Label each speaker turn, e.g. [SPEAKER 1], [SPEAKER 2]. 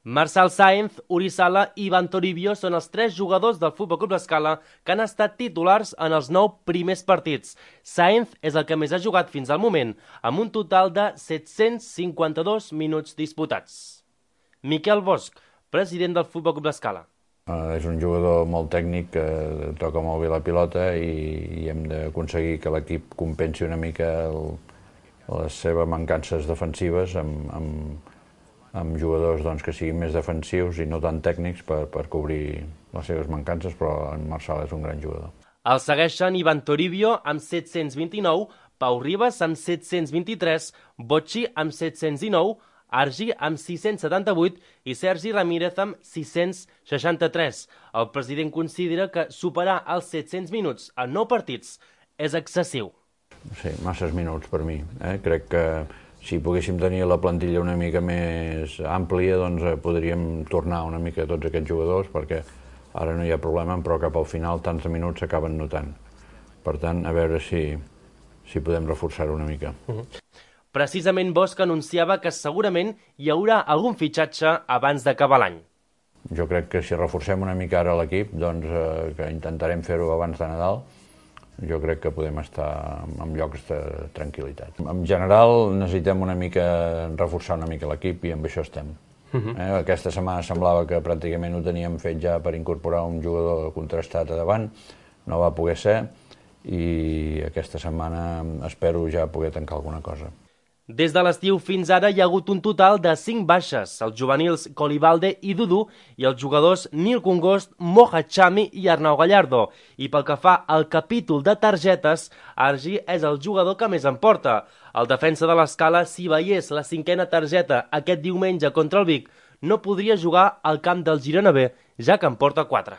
[SPEAKER 1] Marçal Sáenz, Uri Sala i Ivan Toribio són els 3 jugadors del Futbol Club L'Escala que han estat titulars en els 9 primers partits. Sáenz és el que més ha jugat fins al moment, amb un total de 752 minuts disputats. Miquel Bosch, president del Futbol Club L'Escala.
[SPEAKER 2] És un jugador molt tècnic que toca molt bé la pilota i hem d'aconseguir que l'equip compensi una mica les seves mancances defensives amb jugadors que siguin més defensius i no tan tècnics per cobrir les seves mancances, però en Marçal és un gran jugador.
[SPEAKER 1] El segueixen Ivan Toribio amb 729, Pau Ribas amb 723, Bocci amb 719, Argi amb 678 i Sergi Ramírez amb 663. El president considera que superar els 700 minuts en 9 partits és excessiu.
[SPEAKER 2] Sí, masses minuts per mi. Crec que si poguéssim tenir la plantilla una mica més àmplia, doncs podríem tornar una mica a tots aquests jugadors, perquè ara no hi ha problema, però cap al final tants minuts s'acaben notant. Per tant, a veure si podem reforçar-ho una mica.
[SPEAKER 1] Precisament Bosch anunciava que segurament hi haurà algun fitxatge abans d'acabar l'any.
[SPEAKER 2] Jo crec que si reforcem una mica ara l'equip, doncs que intentarem fer-ho abans de Nadal, jo crec que podem estar en llocs de tranquil·litat. En general necessitem una mica reforçar una mica l'equip i amb això estem. Aquesta setmana semblava que pràcticament ho teníem fet ja per incorporar un jugador contrastat a davant, no va poder ser i aquesta setmana espero ja poder tancar alguna cosa.
[SPEAKER 1] Des de l'estiu fins ara hi ha hagut un total de 5 baixes, els juvenils Colibalde i Dudu i els jugadors Nil Congost, Moja Chami i Arnau Gallardo. I pel que fa al capítol de targetes, Argi és el jugador que més en porta. El defensa de l'Escala, si veiés la 5a targeta aquest diumenge contra el Vic, no podria jugar al camp del Girona B, ja que en porta 4.